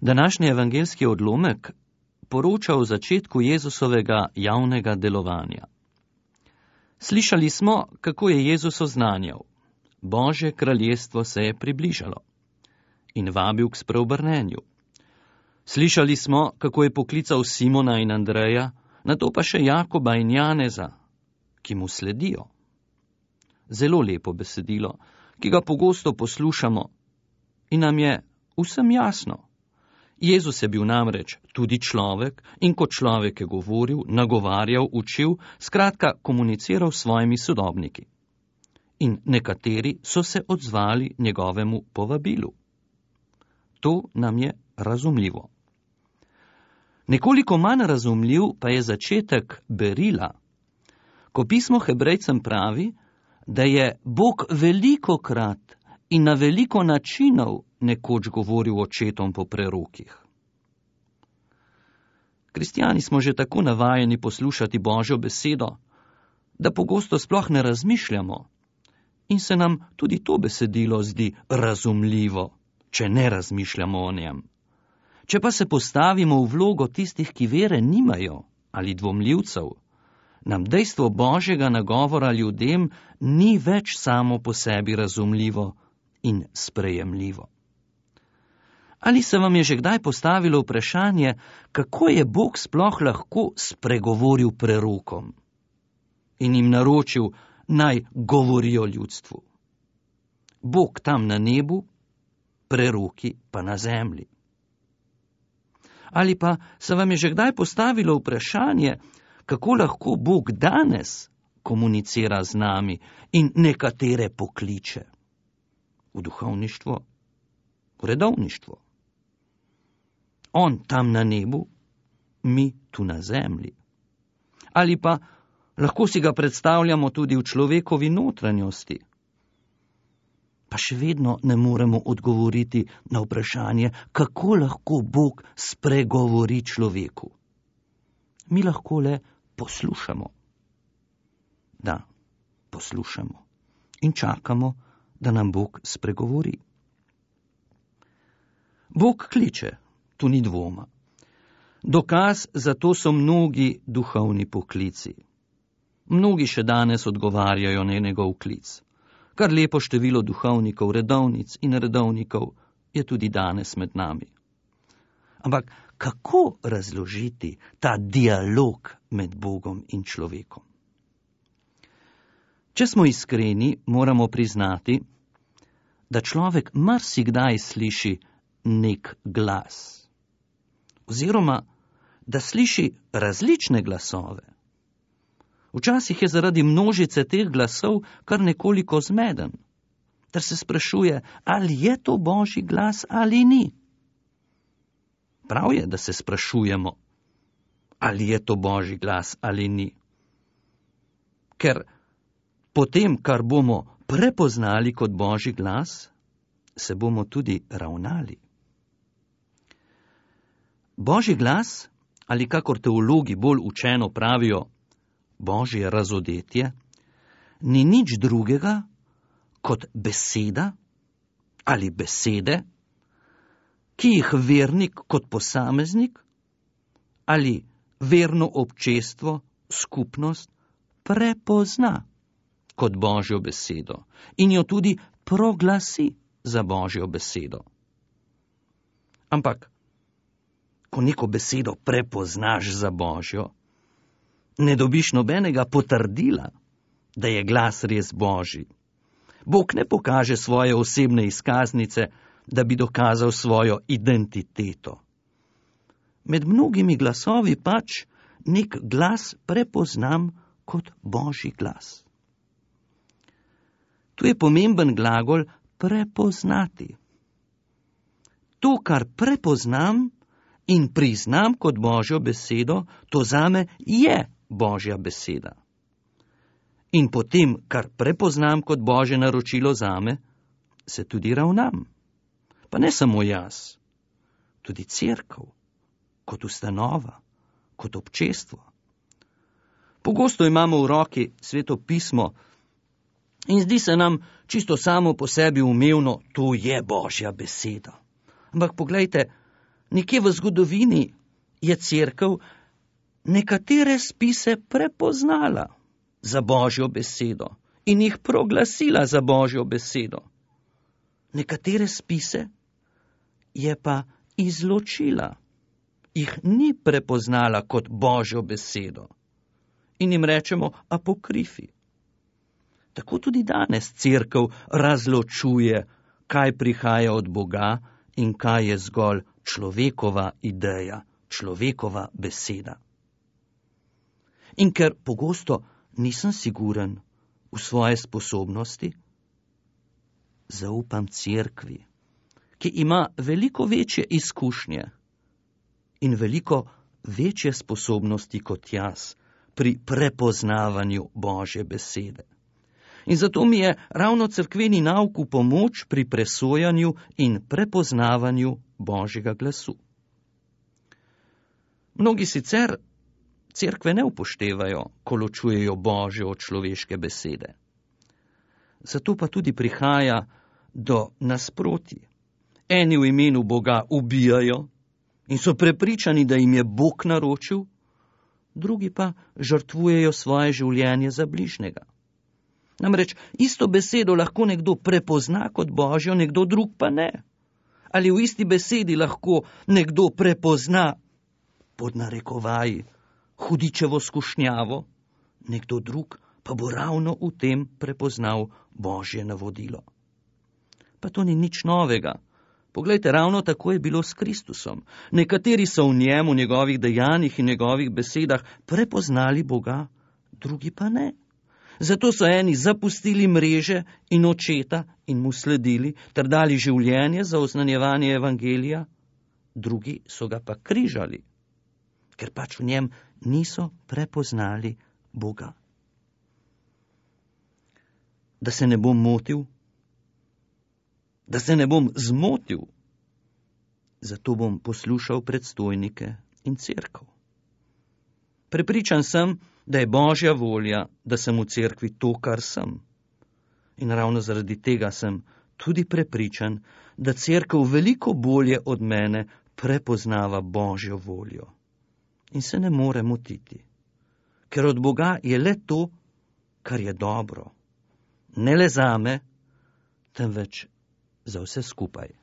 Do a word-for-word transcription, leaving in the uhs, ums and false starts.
Današnji evangeljski odlomek poroča o začetku Jezusovega javnega delovanja. Slišali smo, kako je Jezus oznanjal: Božje kraljestvo se je približalo in vabil k spreobrnenju. Slišali smo, kako je poklical Simona in Andreja, nato pa še Jakoba in Janeza, ki mu sledijo. Zelo lepo besedilo, ki ga pogosto poslušamo in nam je vsem jasno. Jezus je bil namreč tudi človek in kot človek je govoril, nagovarjal, učil, skratka komuniciral s svojimi sodobniki. In nekateri so se odzvali njegovemu povabilu. To nam je razumljivo. Nekoliko manj razumljiv pa je začetek berila, ko pismo Hebrejcem pravi, da je Bog velikokrat in na veliko načinov nekoč govoril očetom po prerokih. Kristjani smo že tako navajeni poslušati Božjo besedo, da pogosto sploh ne razmišljamo in se nam tudi to besedilo zdi razumljivo, če ne razmišljamo o njem. Če pa se postavimo v vlogo tistih, ki vere nimajo ali dvomljivcev, nam dejstvo Božjega nagovora ljudem ni več samo po sebi razumljivo in sprejemljivo. Ali se vam je že kdaj postavilo vprašanje, kako je Bog sploh lahko spregovoril prerokom in jim naročil, naj govorijo ljudstvu? Bog tam na nebu, preroki pa na zemlji. Ali pa se vam je že kdaj postavilo vprašanje, kako lahko Bog danes komunicira z nami in nekatere pokliče v duhovništvo, v redovništvo. On tam na nebu, mi tu na zemlji. Ali pa lahko si ga predstavljamo tudi v človekovi notranjosti. Pa še vedno ne moremo odgovoriti na vprašanje, kako lahko Bog spregovori človeku. Mi lahko le poslušamo. Da, poslušamo in čakamo, da nam Bog spregovori. Bog kliče, tu ni dvoma. Dokaz za to so mnogi duhovni poklici. Mnogi še danes odgovarjajo na njegov klic. Kar lepo število duhovnikov, redovnic in redovnikov je tudi danes med nami. Ampak kako razložiti ta dialog med Bogom in človekom? Če smo iskreni, moramo priznati, da človek marsikdaj sliši nek glas. Oziroma, da sliši različne glasove. Včasih je zaradi množice teh glasov kar nekoliko zmeden, ter se sprašuje, ali je to Božji glas ali ni. Prav je, da se sprašujemo, ali je to Božji glas ali ni. Ker potem, kar bomo prepoznali kot Božji glas, se bomo tudi ravnali. Božji glas, ali kakor teologi bolj učeno pravijo, Božje razodetje, ni nič drugega kot beseda ali besede, ki jih vernik kot posameznik ali verno občestvo, skupnost prepozna kot Božjo besedo in jo tudi proglasi za Božjo besedo. Ampak, ko neko besedo prepoznaš za Božjo, ne dobiš nobenega potrdila, da je glas res Božji. Bog ne pokaže svoje osebne izkaznice, da bi dokazal svojo identiteto. Med mnogimi glasovi pač nek glas prepoznam kot Božji glas. Tu je pomemben glagol prepoznati. To, kar prepoznam in priznam kot Božjo besedo, to zame je Božja beseda. In potem, kar prepoznam kot Božje naročilo zame, se tudi ravnam. Pa ne samo jaz, tudi cerkev, kot ustanova, kot občestvo. Pogosto imamo v roki Sveto pismo in zdi se nam čisto samo po sebi umevno, to je Božja beseda. Ampak poglejte, Nekje v zgodovini je cerkev nekatere spise prepoznala za Božjo besedo in jih proglasila za Božjo besedo. Nekatere spise je pa izločila, jih ni prepoznala kot Božjo besedo in jim rečemo apokrifi. Tako tudi danes cerkev razločuje, kaj prihaja od Boga in kaj je zgolj človekova ideja, človekova beseda. In ker pogosto nisem siguren v svoje sposobnosti, zaupam cerkvi, ki ima veliko večje izkušnje in veliko večje sposobnosti kot jaz pri prepoznavanju Božje besede. In zato mi je ravno cerkveni nauk v pomoč pri presojanju in prepoznavanju Božjega glasu. Mnogi sicer cerkve ne upoštevajo, ko ločujejo Božjo od človeške besede. Zato pa tudi prihaja do nasprotij. Eni v imenu Boga ubijajo in so prepričani, da jim je Bog naročil, drugi pa žrtvujejo svoje življenje za bližnjega. Namreč isto besedo lahko nekdo prepozna kot Božjo, nekdo drug pa ne. Ali v isti besedi lahko nekdo prepozna, pod narekovaji, hudičevo skušnjavo, nekdo drug pa bo ravno v tem prepoznal Božje navodilo. Pa to ni nič novega. Poglejte, ravno tako je bilo s Kristusom. Nekateri so v njem, v njegovih dejanjih in njegovih besedah prepoznali Boga, drugi pa ne. Zato so eni zapustili mreže in očeta in mu sledili, ter dali življenje za oznanjevanje evangelija, drugi so ga pa križali, ker pač v njem niso prepoznali Boga. Da se ne bom motil, da se ne bom zmotil, zato bom poslušal predstojnike in cerkev. Prepričan sem, da je Božja volja, da sem v cerkvi to, kar sem. In ravno zaradi tega sem tudi prepričan, da cerkev veliko bolje od mene prepoznava Božjo voljo. In se ne more motiti, ker od Boga je le to, kar je dobro. Ne le zame, temveč za vse skupaj.